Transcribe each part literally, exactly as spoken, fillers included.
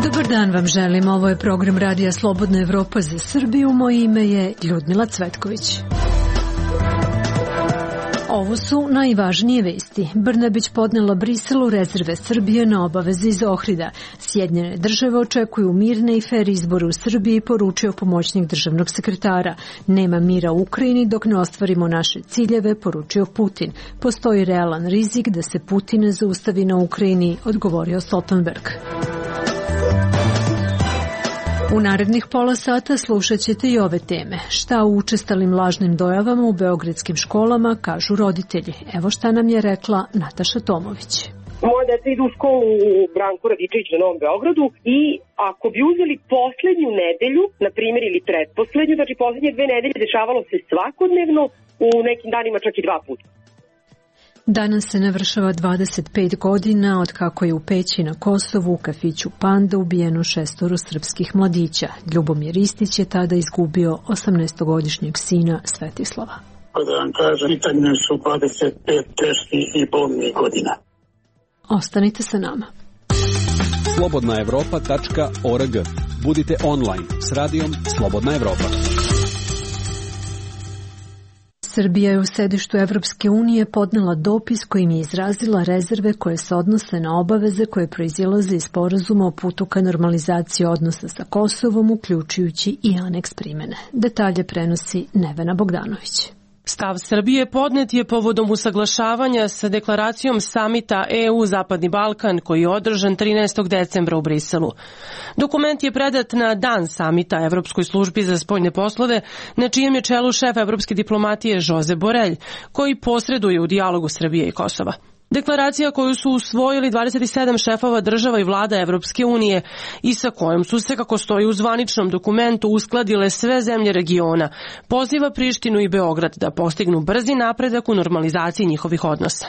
Dobar dan vam želim, ovo je program Radija Slobodna Evropa za Srbiju, moje ime je Ljudmila Cvetković. Ovo su najvažnije vesti. Brnabić podnela Briselu rezerve Srbije na obaveze iz Ohrida. Sjedinjene države očekuju mirne i fer izbore u Srbiji, poručio pomoćnik državnog sekretara. Nema mira u Ukrajini dok ne ostvarimo naše ciljeve, poručio Putin. Postoji realan rizik da se Putin ne zaustavi na Ukrajini, odgovorio Stoltenberg. U narednih pola sata slušat ćete i ove teme. Šta u učestalim lažnim dojavama u beogradskim školama kažu roditelji? Evo šta nam je rekla Nataša Tomović. Moja deca idu u školu u Branku Radičević na Novom Beogradu i ako bi uzeli poslednju nedelju, na primjer, ili pretposlednju, znači poslednje dve nedelje dešavalo se svakodnevno, u nekim danima čak i dva puta. Danas se navršava dvadeset pet godina od kako je u Peći na Kosovu u kafiću Panda ubijeno šestoro srpskih mladića. Ljubomir Ristić je tada izgubio osamnaestogodišnjeg sina Svetislava. Da vam kažem, pitanje su dvadeset pet teških i bolnih godina. Ostanite sa nama. slobodna evropa tačka org. Budite online s radijom Slobodna Evropa. Srbija je u sedištu Evropske unije podnela dopis kojim je izrazila rezerve koje se odnose na obaveze koje proizilaze iz sporazuma o putu ka normalizaciji odnosa sa Kosovom, uključujući i aneks primene. Detalje prenosi Nevena Bogdanović. Stav Srbije podnet je povodom usaglašavanja sa deklaracijom samita E U Zapadni Balkan koji je održan trinaestog decembra u Briselu. Dokument je predat na dan samita Evropskoj službi za spoljne poslove, na čijem je čelu šef evropske diplomatije Josep Borrell, koji posreduje u dijalogu Srbije i Kosova. Deklaracija koju su usvojili dvadeset sedam šefova država i vlada Evropske unije i sa kojom su se, kako stoji u zvaničnom dokumentu, uskladile sve zemlje regiona, poziva Prištinu i Beograd da postignu brzi napredak u normalizaciji njihovih odnosa.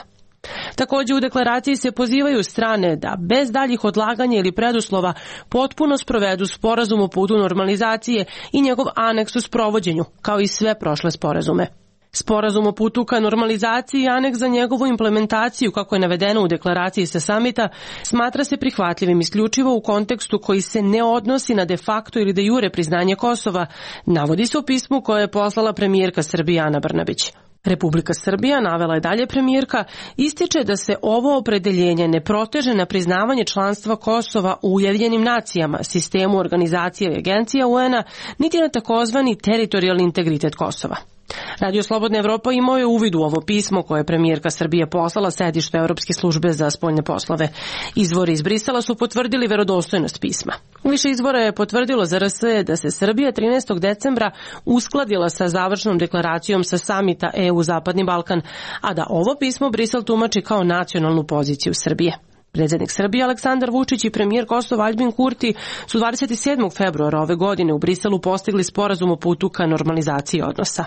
Također u deklaraciji se pozivaju strane da bez daljih odlaganja ili preduslova potpuno sprovedu sporazum o putu normalizacije i njegov aneks u sprovođenju, kao i sve prošle sporazume. Sporazum o putu ka normalizaciji i aneks za njegovu implementaciju, kako je navedeno u deklaraciji sa samita, smatra se prihvatljivim isključivo u kontekstu koji se ne odnosi na de facto ili de jure priznanje Kosova, navodi se u pismu koje je poslala premijerka Srbije Ana Brnabić. Republika Srbija, navela je dalje premijerka, ističe da se ovo opredeljenje ne proteže na priznavanje članstva Kosova u Ujedinjenim nacijama, sistemu organizacije i agencija U N-a, niti na takozvani teritorijalni integritet Kosova. Radio Slobodna Evropa imao je uvid u ovo pismo koje je premijerka Srbije poslala sedištu Evropske službe za spoljne poslove. Izvori iz Brisela su potvrdili verodostojnost pisma. Više izvora je potvrdilo za R S da se Srbija trinaestog decembra uskladila sa završnom deklaracijom sa samita E U Zapadni Balkan, a da ovo pismo Brisel tumači kao nacionalnu poziciju Srbije. Predsjednik Srbije Aleksandar Vučić i premijer Kosova Aljbin Kurti su dvadeset sedmog februara ove godine u Briselu postigli sporazum o putu ka normalizaciji odnosa.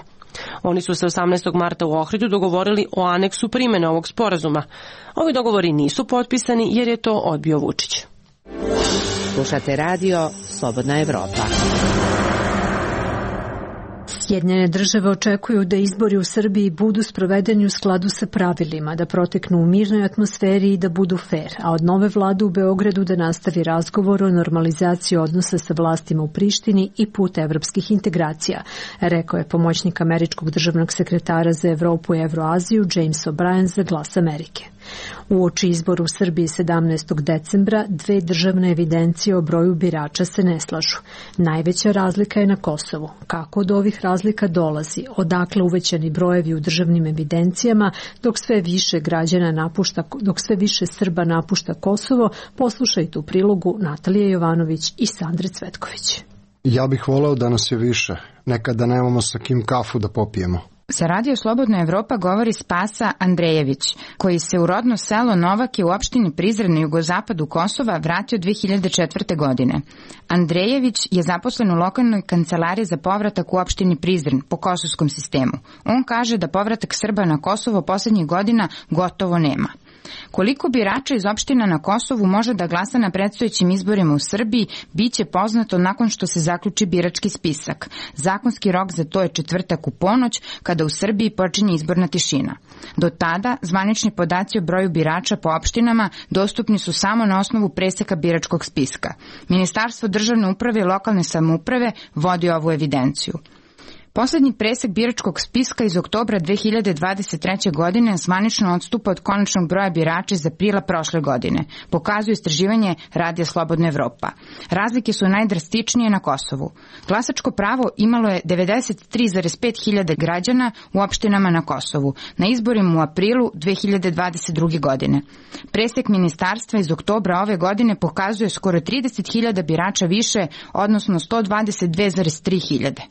Oni su se osamnaestog marta u Ohridu dogovorili o aneksu primjene ovog sporazuma. Ovi dogovori nisu potpisani jer je to odbio Vučić. Slušate radio Slobodna Evropa. Sjedinjene države očekuju da izbori u Srbiji budu sprovedeni u skladu sa pravilima, da proteknu u mirnoj atmosferi i da budu fer, a od nove vlade u Beogradu da nastavi razgovor o normalizaciji odnosa sa vlastima u Prištini i put evropskih integracija, rekao je pomoćnik američkog državnog sekretara za Evropu i Evroaziju James O'Brien za Glas Amerike. Uoči izbora u Srbiji sedamnaestog decembra dve državne evidencije o broju birača se ne slažu. Najveća razlika je na Kosovu. Kako do ovih razlika dolazi? Odakle uvećani brojevi u državnim evidencijama dok sve više građana napušta, dok sve više Srba napušta Kosovo? Poslušajte u prilogu Natalije Jovanović i Sandre Cvetković. Ja bih voleo da nas je više. Nekada nemamo sa kim kafu da popijemo. Sa Radio Slobodna Evropa govori Spasa Andrejević, koji se u rodno selo Novake u opštini Prizren na jugozapadu Kosova vratio dve hiljade četvrte. godine. Andrejević je zaposlen u lokalnoj kancelariji za povratak u opštini Prizren po kosovskom sistemu. On kaže da povratak Srba na Kosovo poslednjih godina gotovo nema. Koliko birača iz opština na Kosovu može da glasa na predstojećim izborima u Srbiji, biće poznato nakon što se zaključi birački spisak. Zakonski rok za to je četvrtak u ponoć, kada u Srbiji počinje izborna tišina. Do tada, zvanični podaci o broju birača po opštinama dostupni su samo na osnovu preseka biračkog spiska. Ministarstvo državne uprave i lokalne samouprave vodi ovu evidenciju. Poslednji presek biračkog spiska iz oktobra dve hiljade dvadeset treće. godine zvanično odstupa od konačnog broja birača iz aprila prošle godine, pokazuje istraživanje Radija Slobodna Evropa. Razlike su najdrastičnije na Kosovu. Glasačko pravo imalo je devedeset tri zarez pet hiljada građana u opštinama na Kosovu, na izborima u aprilu dve hiljade dvadeset druge. godine. Presek ministarstva iz oktobra ove godine pokazuje skoro trideset hiljada birača više, odnosno sto dvadeset dve zarez tri hiljade.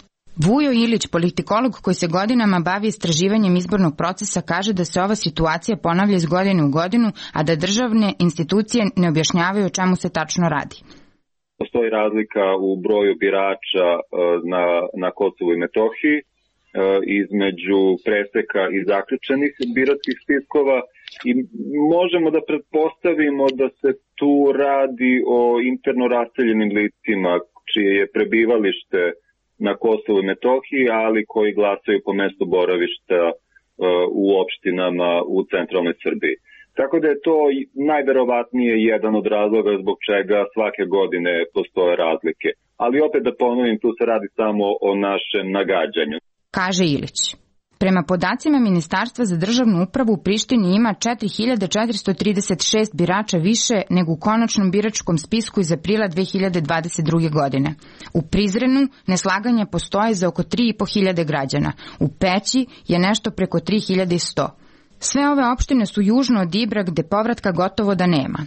Vujo Ilić, politikolog koji se godinama bavi istraživanjem izbornog procesa, kaže da se ova situacija ponavlja iz godine u godinu, a da državne institucije ne objašnjavaju o čemu se tačno radi. Postoji razlika u broju birača na, na Kosovu i Metohiji između preseka i zaključenih biračkih spiskova i možemo da pretpostavimo da se tu radi o interno raseljenim licima čije je prebivalište na Kosovu i Metohiji, ali koji glasaju po mestu boravišta uh, u opštinama u centralnoj Srbiji. Tako da je to najverovatnije jedan od razloga zbog čega svake godine postoje razlike. Ali opet da ponovim, tu se radi samo o našem nagađanju. Kaže Ilić. Prema podacima Ministarstva za državnu upravu u Prištini ima četiri hiljade četiristo trideset šest birača više nego u konačnom biračkom spisku iz aprila dve hiljade dvadeset druge. godine. U Prizrenu neslaganja postoje za oko tri i po hiljade građana. U Peći je nešto preko tri hiljade sto. Sve ove opštine su južno od Ibra gde povratka gotovo da nema.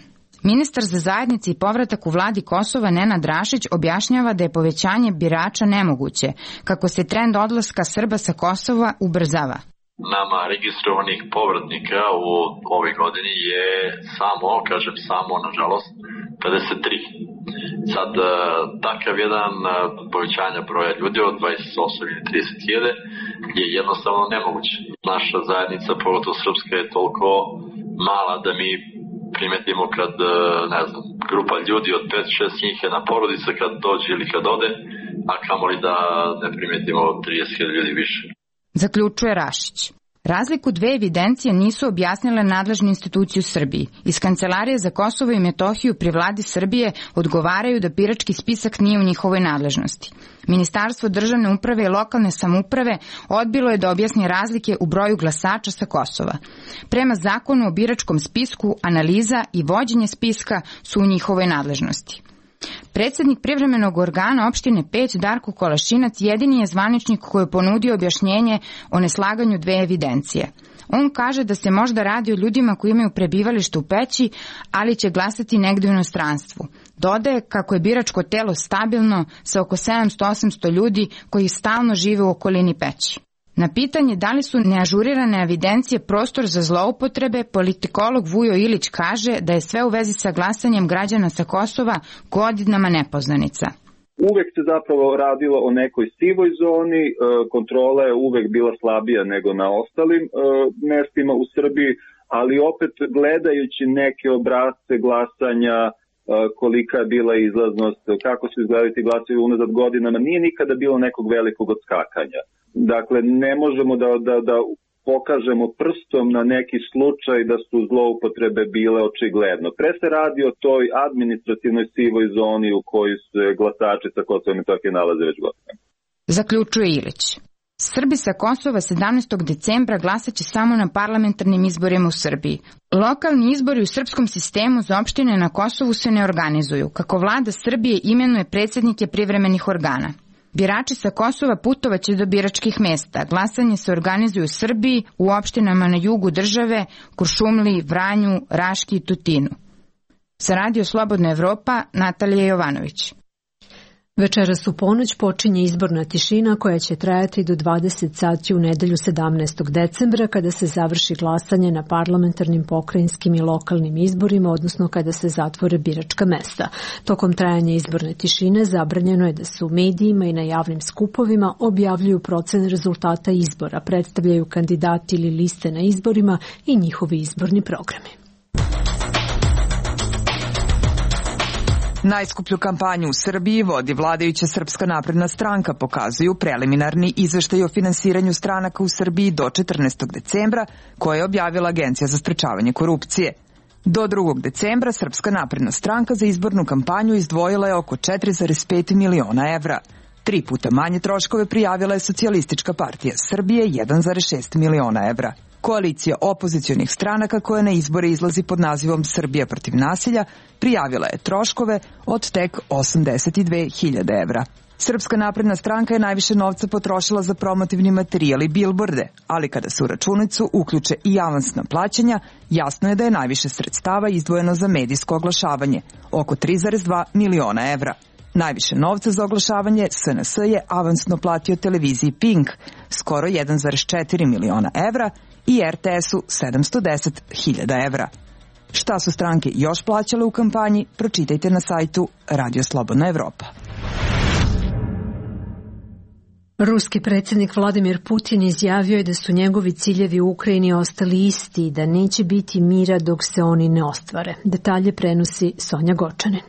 Ministar za zajednice i povratak u vladi Kosova Nenad Rašić objašnjava da je povećanje birača nemoguće, kako se trend odlaska Srba sa Kosova ubrzava. Nama registrovanih povratnika u ovoj godini je samo, kažem samo, nažalost, pedeset tri. Sad, takav jedan povećanja broja ljudi od dvadeset osam ili trideset hiljada je jednostavno nemoguće. Naša zajednica, pogotovo srpska, je toliko mala da mi primetimo kad, ne znam, grupa ljudi od pet šest njih je na porodica kad dođe ili kad ode, a kamoli da ne primetimo trideset hiljada ljudi više. Zaključuje Rašić. Razliku dve evidencije nisu objasnile nadležne institucije u Srbiji. Iz Kancelarije za Kosovo i Metohiju pri vladi Srbije odgovaraju da birački spisak nije u njihovoj nadležnosti. Ministarstvo državne uprave i lokalne samouprave odbilo je da objasni razlike u broju glasača sa Kosova. Prema zakonu o biračkom spisku, analiza i vođenje spiska su u njihovoj nadležnosti. Predsednik privremenog organa opštine Peć, Darko Kolašinac, jedini je zvaničnik koji je ponudio objašnjenje o neslaganju dve evidencije. On kaže da se možda radi o ljudima koji imaju prebivalište u Peći, ali će glasati negde u inostranstvu. Dodaje kako je biračko telo stabilno sa oko sedamsto do osamsto ljudi koji stalno žive u okolini Peći. Na pitanje da li su neažurirane evidencije prostor za zloupotrebe, politikolog Vujo Ilić kaže da je sve u vezi sa glasanjem građana sa Kosova godinama nepoznanica. Uvek se zapravo radilo o nekoj sivoj zoni, kontrola je uvek bila slabija nego na ostalim mestima u Srbiji, ali opet gledajući neke obrasce glasanja, kolika je bila izlaznost, kako su izgledali ti glasovi unazad godinama, nije nikada bilo nekog velikog odskakanja. Dakle, ne možemo da, da, da pokažemo prstom na neki slučaj da su zloupotrebe bile očigledno. Pre se radi o toj administrativnoj sivoj zoni u kojoj se glasači sa Kosova i Metohije nalaze već godinama. Zaključuje Ilić. Srbi sa Kosova sedamnaestog decembra glasaće samo na parlamentarnim izborima u Srbiji. Lokalni izbori u srpskom sistemu za opštine na Kosovu se ne organizuju, kako vlada Srbije imenuje predsednike privremenih organa. Birači sa Kosova putovaće do biračkih mesta. Glasanje se organizuje u Srbiji, u opštinama na jugu države, Kuršumliji, Vranju, Raški i Tutinu. Sa Radio Slobodna Evropa, Natalija Jovanović. Večeras u ponoć počinje izborna tišina koja će trajati do dvadeset sati u nedelju sedamnaestog decembra kada se završi glasanje na parlamentarnim, pokrajinskim i lokalnim izborima, odnosno kada se zatvore biračka mesta. Tokom trajanja izborne tišine zabranjeno je da se u medijima i na javnim skupovima objavljuju procene rezultata izbora, predstavljaju kandidati ili liste na izborima i njihovi izborni programi. Najskuplju kampanju u Srbiji vodi vladajuća Srpska napredna stranka, pokazuju preliminarni izveštaj o finansiranju stranaka u Srbiji do četrnaestog decembra, koje je objavila Agencija za sprečavanje korupcije. Do drugog decembra Srpska napredna stranka za izbornu kampanju izdvojila je oko četiri zarez pet miliona evra. Tri puta manje troškove prijavila je Socijalistička partija Srbije, jedan zarez šest miliona evra. Koalicija opozicionih stranaka koja na izbore izlazi pod nazivom Srbija protiv nasilja prijavila je troškove od tek osamdeset dve hiljade evra. Srpska napredna stranka je najviše novca potrošila za promotivni materijal i bilborde, ali kada se u računicu uključe i avansna plaćanja, jasno je da je najviše sredstava izdvojeno za medijsko oglašavanje, oko tri zarez dva miliona evra. Najviše novca za oglašavanje S N S je avansno platio televiziji Pink, skoro jedan zarez četiri miliona evra, i R T S-u sedamsto deset hiljada evra. Šta su stranke još plaćale u kampanji, pročitajte na sajtu Radio Slobodna Evropa. Ruski predsjednik Vladimir Putin izjavio je da su njegovi ciljevi u Ukrajini ostali isti i da neće biti mira dok se oni ne ostvare. Detalje prenosi Sonja Gočanin.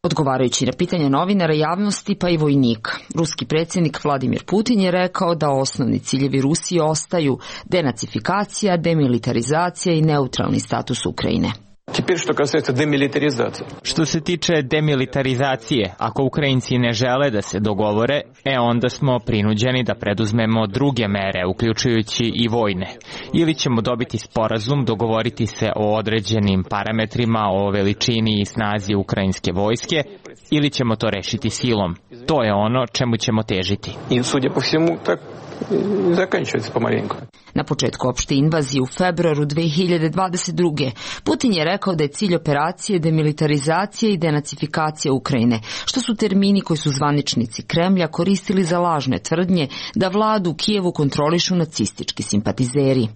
Odgovarajući na pitanje novinara, javnosti pa i vojnika, ruski predsjednik Vladimir Putin je rekao da osnovni ciljevi Rusije ostaju denacifikacija, demilitarizacija i neutralni status Ukrajine. Što se tiče demilitarizacije, ako Ukrajinci ne žele da se dogovore, e onda smo prinuđeni da preduzmemo druge mere, uključujući i vojne. Ili ćemo dobiti sporazum, dogovoriti se o određenim parametrima, o veličini i snazi ukrajinske vojske, ili ćemo to rešiti silom. To je ono čemu ćemo težiti. I судя по всему, так заканчивается помаленьку. Na početku opšte invazije u februaru dve hiljade dvadeset druge. Putin je rekao da je cilj operacije demilitarizacija i denacifikacija Ukrajine, što su termini koji su zvaničnici Kremlja koristili za lažne tvrdnje da vladu u Kijevu kontrolišu nacistički simpatizeri.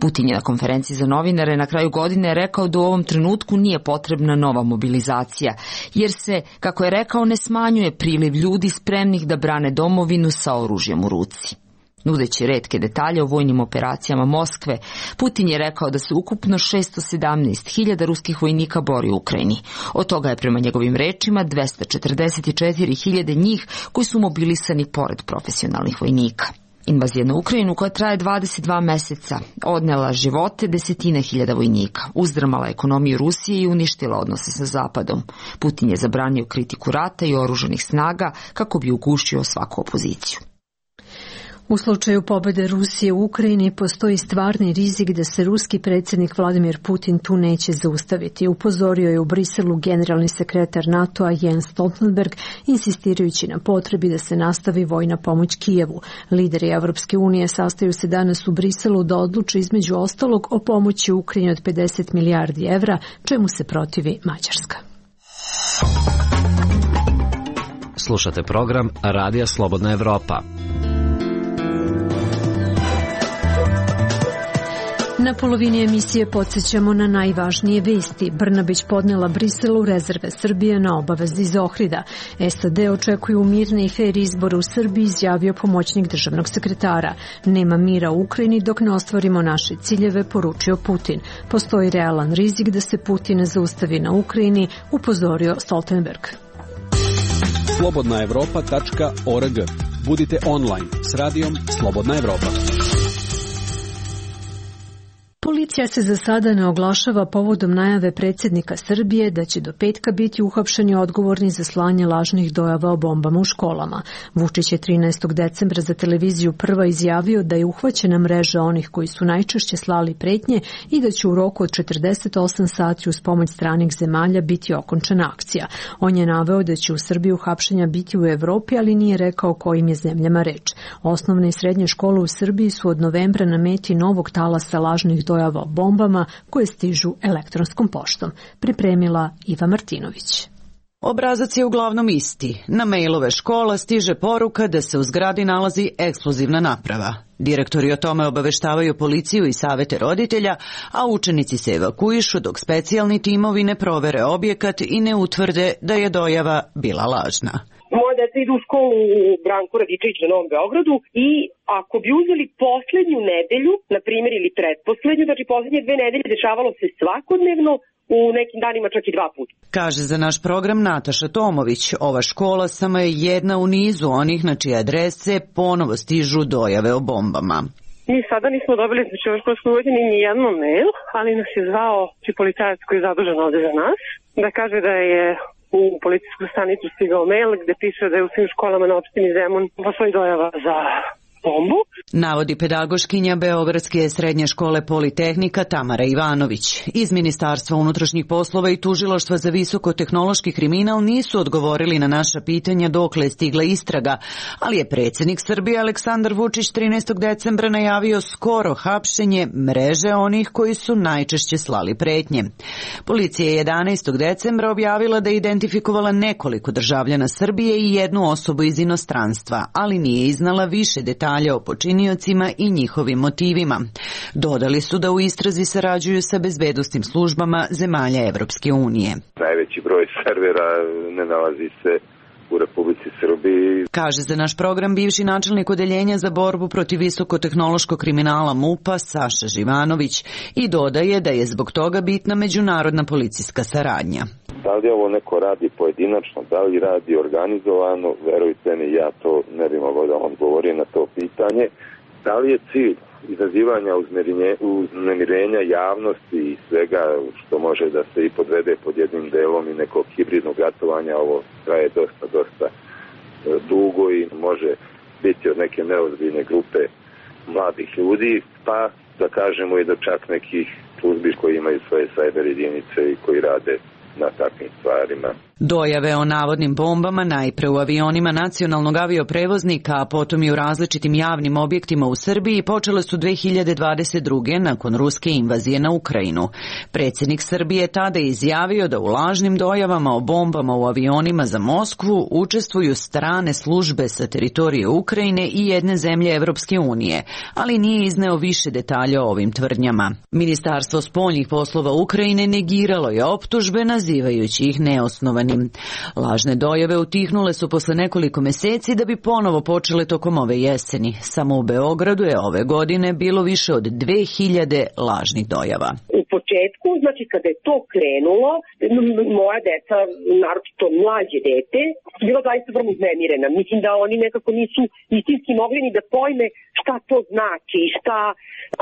Putin je na konferenciji za novinare na kraju godine rekao da u ovom trenutku nije potrebna nova mobilizacija, jer se, kako je rekao, ne smanjuje priliv ljudi spremnih da brane domovinu sa oružjem u ruci. Nudeći retke detalje o vojnim operacijama Moskve, Putin je rekao da se ukupno šesto sedamnaest hiljada ruskih vojnika bori u Ukrajini. Od toga je prema njegovim rečima dvesta četrdeset četiri hiljade njih koji su mobilisani pored profesionalnih vojnika. Invazija na Ukrajinu, koja traje dvadeset dva meseca, odnela živote desetine hiljada vojnika, uzdrmala ekonomiju Rusije i uništila odnose sa Zapadom. Putin je zabranio kritiku rata i oružanih snaga kako bi ugušio svaku opoziciju. U slučaju pobjede Rusije u Ukrajini postoji stvarni rizik da se ruski predsjednik Vladimir Putin tu neće zaustaviti. Upozorio je u Briselu generalni sekretar NATO-a Jens Stoltenberg, insistirajući na potrebi da se nastavi vojna pomoć Kijevu. Lideri Evropske unije sastaju se danas u Briselu da odluče između ostalog o pomoći Ukrajini od pedeset milijardi evra, čemu se protivi Mađarska. Slušate program Radija Slobodna Evropa. Na polovini emisije podsjećamo na najvažnije vesti. Brnabić podnela Briselu rezerve Srbije na obavezi iz Ohrida. S A D očekuju mirne i fer izbore u Srbiji, izjavio pomoćnik državnog sekretara. Nema mira u Ukrajini dok ne ostvarimo naše ciljeve, poručio Putin. Postoji realan rizik da se Putin ne zaustavi na Ukrajini, upozorio Stoltenberg. slobodna evropa tačka org. Budite online s radijom Slobodna Evropa. Policija se za sada ne oglašava povodom najave predsjednika Srbije da će do petka biti uhapšeni odgovorni za slanje lažnih dojava o bombama u školama. Vučić je trinaestog decembra za televiziju Prva izjavio da je uhvaćena mreža onih koji su najčešće slali pretnje i da će u roku od četrdeset osam sati uz pomoć stranih zemalja biti okončana akcija. On je naveo da će u Srbiji uhapšenja biti u Evropi, ali nije rekao kojim je zemljama reč. Osnovne i srednje škole u Srbiji su od novembra na meti novog talasa lažnih dojava o bombama koje stižu elektronskom poštom. Pripremila Iva Martinović. Obrazac je uglavnom isti. Na mailove škola stiže poruka da se u zgradi nalazi eksplozivna naprava. Direktori o tome obaveštavaju policiju i savete roditelja, a učenici se evakuišu dok specijalni timovi ne provere objekat i ne utvrde da je dojava bila lažna. Moje deca idu u školu u Branku Radičević na Novom Beogradu i ako bi uzeli poslednju nedelju, na primjer, ili pretposlednju, znači poslednje dve nedelje dešavalo se svakodnevno u nekim danima čak i dva puta. Kaže za naš program Nataša Tomović, ova škola samo je jedna u nizu onih na čije adrese ponovo stižu dojave o bombama. Mi sada nismo dobili, znači u školskoj godini ni jedno mail, ali nas je zvao policajac koji je zadužen ovde za nas, da kaže da je u policijsku stanicu stigao mail gde piše da je u svim školama na opštini Zemun postoji dojava za bombu. Navodi pedagoškinja Beogradske srednje škole Politehnika Tamara Ivanović. Iz Ministarstva unutrašnjih poslova i Tužilaštva za visokotehnološki kriminal nisu odgovorili na naša pitanja dokle je stigla istraga, ali je predsjednik Srbije Aleksandar Vučić trinaestog decembra najavio skoro hapšenje mreže onih koji su najčešće slali pretnje. Policija je jedanaestog decembra objavila da je identifikovala nekoliko državljana Srbije i jednu osobu iz inostranstva, ali nije iznala više detalja o počiniocima i njihovim motivima. Dodali su da u istrazi sarađuju sa bezbednosnim službama zemalja Evropske unije. Najveći broj servera ne nalazi se u Republici Srbiji. Kaže za naš program bivši načelnik odeljenja za borbu protiv visokotehnološkog kriminala MUP-a Saša Živanović i dodaje da je zbog toga bitna međunarodna policijska saradnja. Da li ovo neko radi pojedinačno, da li radi organizovano, verujte mi, ja to ne bi mogao da odgovorim na to pitanje. Da li je cilj izazivanja uznemirenja javnosti i svega što može da se i podvede pod jednim delom i nekog hibridnog ratovanja, ovo traje dosta, dosta dugo i može biti od neke neozbiljne grupe mladih ljudi, pa da kažemo i do čak nekih službi koji imaju svoje sajber jedinice i koji rade na takvim stvarima. Dojave o navodnim bombama najpre u avionima nacionalnog avioprevoznika, a potom i u različitim javnim objektima u Srbiji počele su dve hiljade dvadeset druge nakon ruske invazije na Ukrajinu. Predsjednik Srbije tada je izjavio da u lažnim dojavama o bombama u avionima za Moskvu učestvuju strane službe sa teritorije Ukrajine i jedne zemlje Evropske unije, ali nije izneo više detalja o ovim tvrdnjama. Ministarstvo spoljnih poslova Ukrajine negiralo je optužbe nazivajući ih neosnovanim. Lažne dojave utihnule su posle nekoliko meseci da bi ponovo počele tokom ove jeseni. Samo u Beogradu je ove godine bilo više od dve hiljade lažnih dojava. U početku, znači kada je to krenulo, moja deca, naročito mlađe dete, bila zaista vrlo uznemirena. Mislim da oni nekako nisu istinski mogli ni da pojme šta to znači, šta,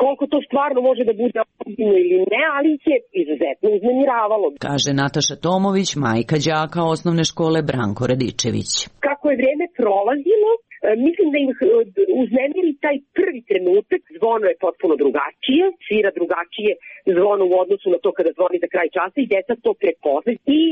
koliko to stvarno može da bude ozbiljno ili ne, ali ih je izuzetno uznemiravalo. Kaže Nataša Tomović, majka đaka osnovne škole Branko Radičević. Kako je vrijeme prolazilo, mislim da im uznemiri taj prvi trenutak, zvono je potpuno drugačije, svira drugačije zvono u odnosu na to kada zvoni za kraj časa i deca to prepoznaju i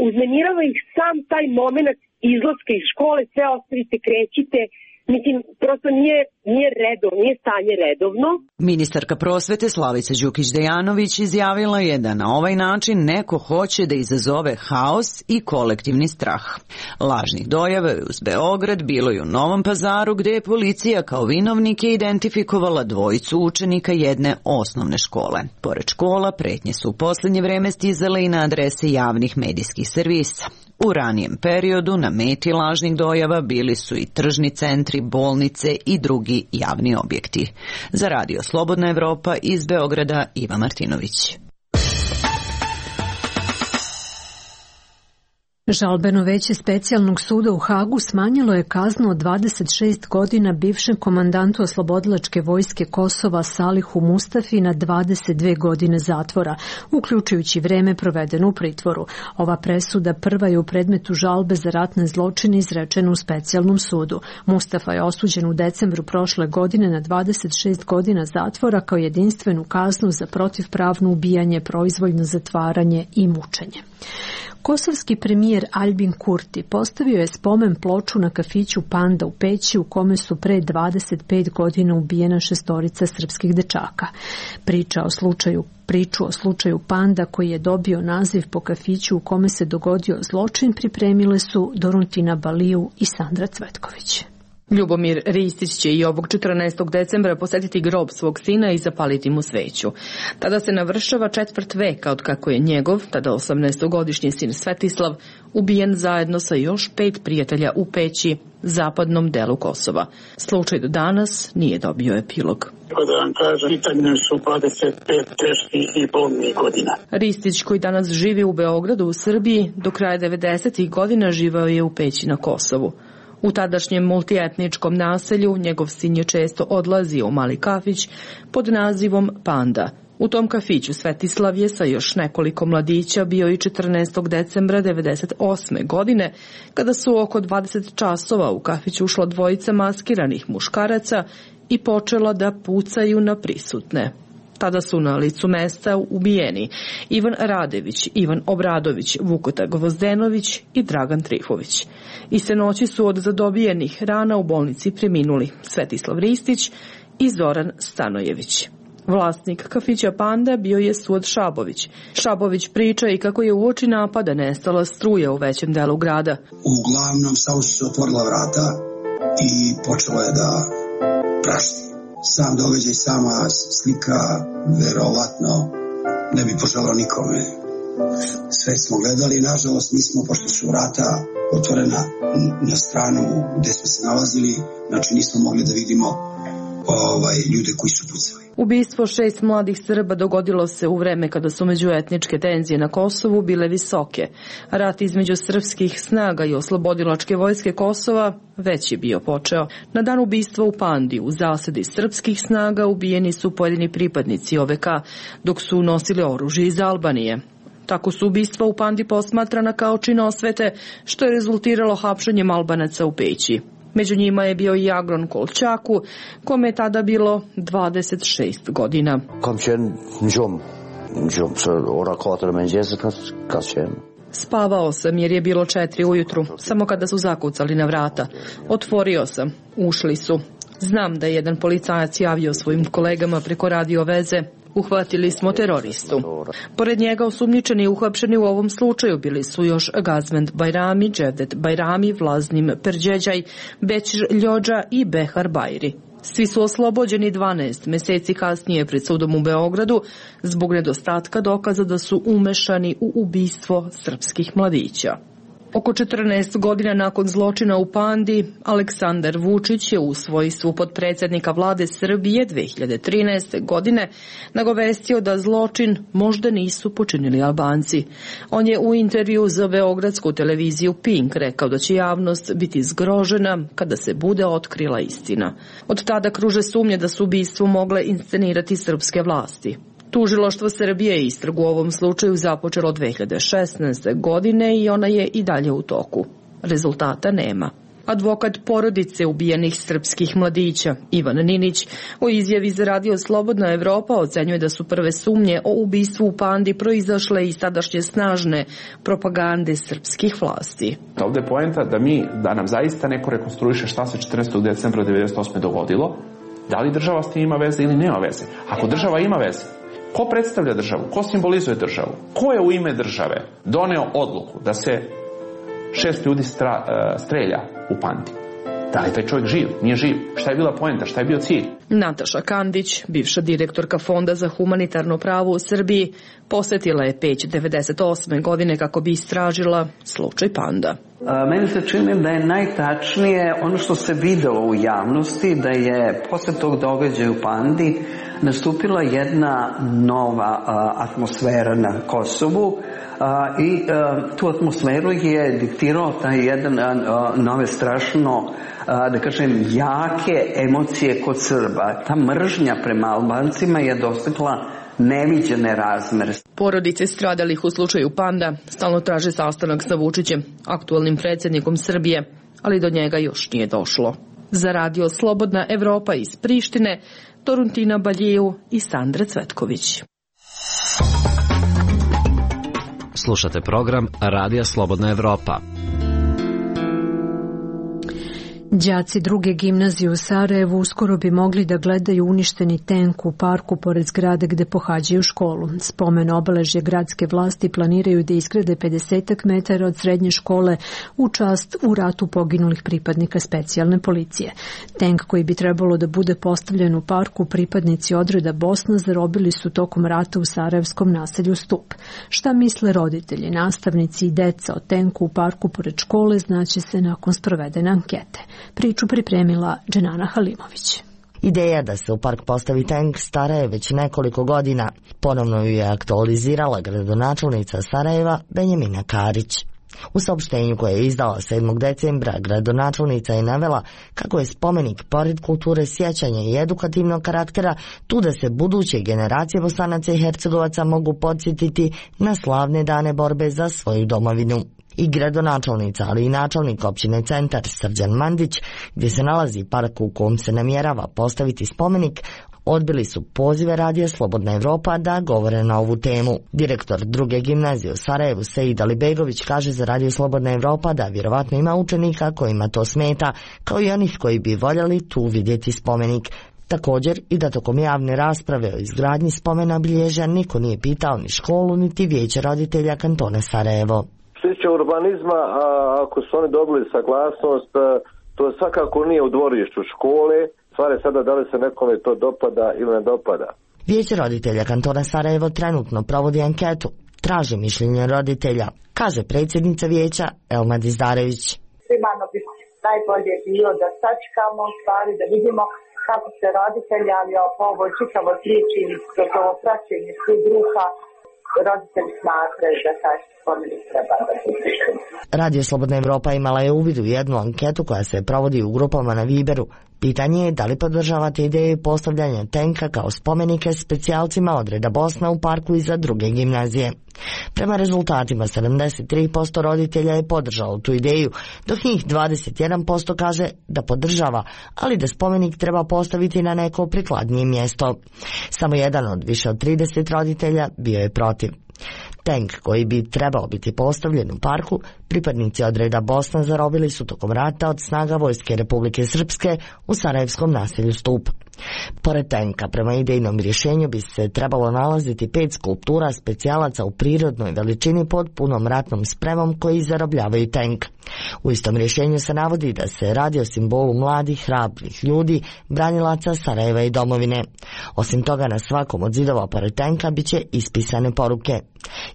uznemirava ih sam taj moment izlaska iz škole, sve ostavite, krećite. Mislim, prosto nije, nije redovno, nije stanje redovno. Ministarka prosvete Slavica Đukić-Dejanović izjavila je da na ovaj način neko hoće da izazove haos i kolektivni strah. Lažnih dojava je uz Beograd bilo i u Novom Pazaru, gde je policija kao vinovnike identifikovala dvojicu učenika jedne osnovne škole. Pored škola, pretnje su u poslednje vreme stizale i na adrese javnih medijskih servisa. U ranijem periodu na meti lažnih dojava bili su i tržni centri, bolnice i drugi javni objekti. Za Radio Slobodna Evropa iz Beograda Iva Martinović. Žalbeno veće specijalnog suda u Hagu smanjilo je kaznu od dvadeset šest godina bivšem komandantu oslobodilačke vojske Kosova Salihu Mustafi na dvadeset dve godine zatvora, uključujući vreme provedeno u pritvoru. Ova presuda prva je u predmetu žalbe za ratne zločine izrečena u specijalnom sudu. Mustafa je osuđen u decembru prošle godine na dvadeset šest godina zatvora kao jedinstvenu kaznu za protivpravno ubijanje, proizvoljno zatvaranje i mučenje. Kosovski premijer Albin Kurti postavio je spomen ploču na kafiću Panda u Peći u kome su pre dvadeset pet godina ubijena šestorica srpskih dečaka. Priča o slučaju, priču o slučaju Panda koji je dobio naziv po kafiću u kome se dogodio zločin pripremile su Doruntina Baliju i Sandra Cvetković. Ljubomir Ristić će i ovog četrnaestog decembra posetiti grob svog sina i zapaliti mu sveću. Tada se navršava četvrt veka od kako je njegov, tada osamnaestogodišnji sin Svetislav, ubijen zajedno sa još pet prijatelja u Peći, zapadnom delu Kosova. Slučaj do danas nije dobio epilog. Da vam kažem, pitanje su dvadeset pet teških i bolnih godina. Ristić, koji danas živi u Beogradu u Srbiji, do kraja devedesetih godina živao je u Peći na Kosovu. U tadašnjem multietničkom naselju njegov sin je često odlazio u mali kafić pod nazivom Panda. U tom kafiću Svetislav je sa još nekoliko mladića bio i četrnaestog decembra devedeset osme godine, kada su oko dvadeset časova u kafić ušla dvojica maskiranih muškaraca i počela da pucaju na prisutne. Tada su na licu mesta ubijeni Ivan Radević, Ivan Obradović, Vukota Gvozdenović i Dragan Trifović. Iste noći su od zadobijenih rana u bolnici preminuli Svetislav Ristić i Zoran Stanojević. Vlasnik kafića Panda bio je Suad Šabović. Šabović priča i kako je uoči napada nestala struja u većem delu grada. Uglavnom samo su se otvorila vrata i počelo je da prašti. Sam događaj, sama slika, verovatno ne bi poželao nikome. Sve smo gledali, nažalost mi smo, pošto su vrata otvorena na stranu gde smo se nalazili, znači nismo mogli da vidimo ovaj, ljude koji su pucali. Ubistvo šest mladih Srba dogodilo se u vreme kada su međuetničke tenzije na Kosovu bile visoke. Rat između srpskih snaga i oslobodilačke vojske Kosova već je bio počeo. Na dan ubistva u Pandi u zasedi srpskih snaga ubijeni su pojedini pripadnici O V K, dok su nosili oružje iz Albanije. Tako su ubistva u Pandi posmatrana kao čin osvete, što je rezultiralo hapšenjem Albanaca u Peći. Među njima je bio i Agron Kolčaku, kome je tada bilo dvadeset šest godina. Spavao sam jer je bilo četiri ujutru, samo kada su zakucali na vrata. Otvorio sam, ušli su. Znam da je jedan policajac javio svojim kolegama preko radio veze. Uhvatili smo teroristu. Pored njega osumnjičeni i uhapšeni u ovom slučaju bili su još Gazmend Bajrami, Dževdet Bajrami, Vlaznim Perđeđaj, Bećir Ljođa i Behar Bajri. Svi su oslobođeni dvanaest meseci kasnije pred sudom u Beogradu zbog nedostatka dokaza da su umešani u ubistvo srpskih mladića. Oko četrnaest godina nakon zločina u Pandi, Aleksandar Vučić je u svojstvu potpredsednika vlade Srbije dve hiljade trinaeste. godine nagovestio da zločin možda nisu počinili Albanci. On je u intervju za beogradsku televiziju Pink rekao da će javnost biti zgrožena kada se bude otkrila istina. Od tada kruže sumnje da su ubistvo mogle inscenirati srpske vlasti. Tužilaštvo Srbije je istragu u ovom slučaju započelo dve hiljade šesnaeste. godine i ona je i dalje u toku. Rezultata nema. Advokat porodice ubijenih srpskih mladića, Ivan Ninić, u izjavi za radio Slobodna Evropa ocenjuje da su prve sumnje o ubistvu u Pandi proizašle iz tadašnje snažne propagande srpskih vlasti. Ovde je poenta da mi, da nam zaista neko rekonstruiše šta se četrnaestog decembra devedeset osme. dogodilo, da li država s tim ima veze ili nema veze. Ako država ima veze, ko predstavlja državu? Ko simbolizuje državu? Ko je u ime države doneo odluku da se šest ljudi stra, uh, strelja u Pandi? Da li taj čovjek živ? Nije živ? Šta je bila poenta? Šta je bio cilj? Nataša Kandić, bivša direktorka Fonda za humanitarno pravo u Srbiji, posetila je Peć devedeset osme. godine kako bi istražila slučaj Panda. A, meni se čini da je najtačnije ono što se videlo u javnosti, da je posle tog događaja u Pandi nastupila jedna nova a, atmosfera na Kosovu a, i a, tu atmosferu je diktirao taj jedan a, a, nove strašno a, da kažem jake emocije kod Srba. Ta mržnja prema Albancima je dostigla neviđene razmere. Porodice stradalih u slučaju Panda stalno traže sastanak sa Vučićem, aktualnim predsjednikom Srbije, ali do njega još nije došlo. Za radio Slobodna Evropa iz Prištine, Toruntina Baljeju i Sandra Cvetković. Slušate program Radija Slobodna Evropa. Đaci druge gimnazije u Sarajevu uskoro bi mogli da gledaju uništeni tenk u parku pored zgrade gde pohađaju školu. Spomen obeležje gradske vlasti planiraju da izgrade pedeset metara od srednje škole u čast u ratu poginulih pripadnika specijalne policije. Tenk koji bi trebalo da bude postavljen u parku pripadnici odreda Bosna zarobili su tokom rata u sarajevskom naselju Stup. Šta misle roditelji, nastavnici i deca o tenku u parku pored škole znaće se nakon sprovedene ankete. Priču pripremila Dženana Halimović. Ideja da se u park postavi tenk stara je već nekoliko godina. Ponovno ju je aktualizirala gradonačelnica Sarajeva Benjamina Karić. U saopštenju koje je izdala sedmog decembra gradonačelnica je navela kako je spomenik pored kulture sjećanja i edukativnog karaktera tu da se buduće generacije Bosanaca i Hercegovaca mogu podsjetiti na slavne dane borbe za svoju domovinu. I gradonačelnica, ali i načelnik općine Centar Srđan Mandić, gdje se nalazi park u kom se namjerava postaviti spomenik, odbili su pozive Radija Slobodna Evropa da govore na ovu temu. Direktor druge gimnazije u Sarajevu Sejid Alibegović kaže za Radio Slobodna Evropa da vjerovatno ima učenika kojima to smeta, kao i onih koji bi voljeli tu vidjeti spomenik. Također i da tokom javne rasprave o izgradnji spomena obilježja niko nije pitao ni školu niti vijeće roditelja kantona Sarajevo. Što se tiče urbanizma, a ako su oni dobili saglasnost, to svakako nije u dvorištu škole. Stvar je sada da li se nekome to dopada ili ne dopada. Vijeće roditelja kantona Sarajevo trenutno provodi anketu. Traži mišljenje roditelja, kaže predsjednica vijeća Elma Dizdarević. Primarno bi najbolje bilo da sačekamo stvari, da vidimo kako se roditelji, ali po ovoj čitavo priči, kroz ovo praćenje svih druga, roditelji smatraju da taj spomenik treba da bude. Radio Slobodna Evropa imala je uvid u jednu anketu koja se provodi u grupama na Viberu. Pitanje je da li podržavate ideju postavljanja tenka kao spomenike specijalcima odreda Bosna u parku iza druge gimnazije. Prema rezultatima sedamdeset tri posto roditelja je podržalo tu ideju, dok njih dvadeset jedan posto kaže da podržava, ali da spomenik treba postaviti na neko prikladnije mjesto. Samo jedan od više od trideset roditelja bio je protiv. Tenk koji bi trebao biti postavljen u parku, pripadnici odreda Bosna zarobili su tokom rata od snaga Vojske Republike Srpske u sarajevskom naselju Stup. Pored tenka, prema idejnom rješenju bi se trebalo nalaziti pet skulptura specijalaca u prirodnoj veličini pod punom ratnom spremom koji zarobljavaju tenk. U istom rješenju se navodi da se radi o simbolu mladih, hrabrih ljudi, branilaca Sarajeva i domovine. Osim toga, na svakom od zidova pored tenka bit će ispisane poruke.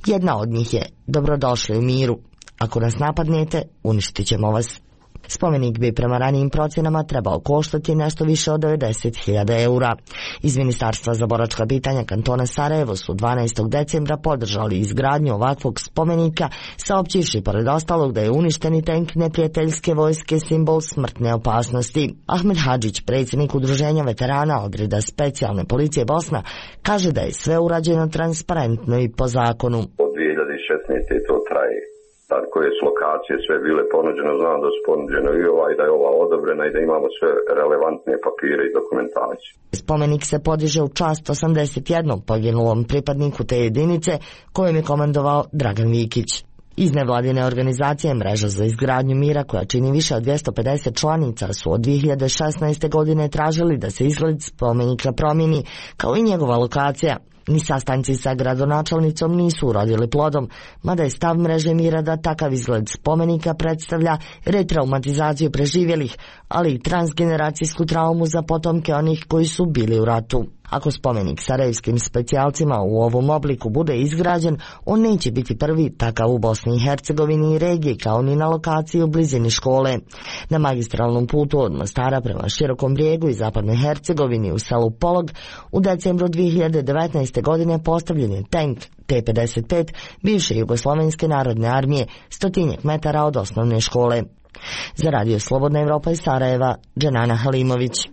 Jedna od njih je: dobrodošli u miru. Ako nas napadnete, uništit ćemo vas. Spomenik bi prema ranijim procjenama trebao koštati nešto više od devedeset hiljada eura. Iz Ministarstva za boračka pitanja kantona Sarajevo su dvanaestog decembra podržali izgradnju ovakvog spomenika, saopćivši pored ostalog da je uništeni tenk neprijateljske vojske simbol smrtne opasnosti. Ahmed Hadžić, predsjednik udruženja veterana odreda specijalne policije Bosna, kaže da je sve urađeno transparentno i po zakonu. Od dvije hiljade šesnaeste to traje. Tako je s lokacije sve bile ponuđene, znam da su ponuđene i ova i da je ova odobrena i da imamo sve relevantne papire i dokumentaciju. Spomenik se podiže u čast osamdeset jednom poginulom pripadniku te jedinice kojem je komandovao Dragan Vikić. Iz nevladine organizacije Mreža za izgradnju mira, koja čini više od dvjesto pedeset članica, su od dvije hiljade šesnaeste godine tražili da se izgled spomenika promijeni, kao i njegova lokacija. Ni sastanci sa gradonačelnicom nisu urodili plodom, mada je stav Mreže mira da takav izgled spomenika predstavlja retraumatizaciju preživjelih, ali i transgeneracijsku traumu za potomke onih koji su bili u ratu. Ako spomenik sarajevskim specijalcima u ovom obliku bude izgrađen, on neće biti prvi takav u Bosni i Hercegovini i regiji, kao ni na lokaciji u blizini škole. Na magistralnom putu od Mostara prema Širokom Brijegu i zapadnoj Hercegovini u selu Polog u decembru dvije hiljade devetnaeste. godine postavljen je tank T pedeset pet bivše Jugoslovenske narodne armije, stotinjak metara od osnovne škole. Za Radio Slobodna Evropa iz Sarajeva, Dženana Halimović.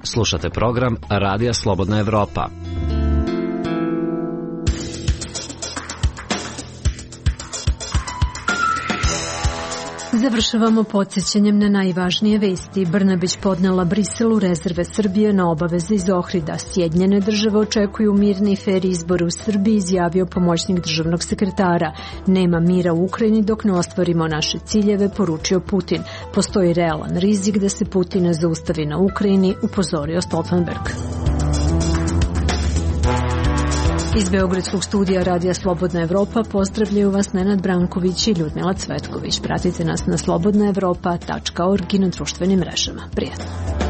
Slušate program Radija Slobodna Evropa. Završavamo podsjećanjem na najvažnije vesti. Brnabić podnela Briselu rezerve Srbije na obaveze iz Ohrida. Sjedinjene države očekuju mirni i fer izbor u Srbiji, izjavio pomoćnik državnog sekretara. Nema mira u Ukrajini dok ne ostvarimo naše ciljeve, poručio Putin. Postoji realan rizik da se Putin ne zaustavi na Ukrajini, upozorio Stoltenberg. Iz Beogradskog studija Radija Slobodna Evropa pozdravljaju vas Nenad Branković i Ljudmila Cvetković. Pratite nas na slobodna evropa tačka org i na društvenim mrežama. Prijatno.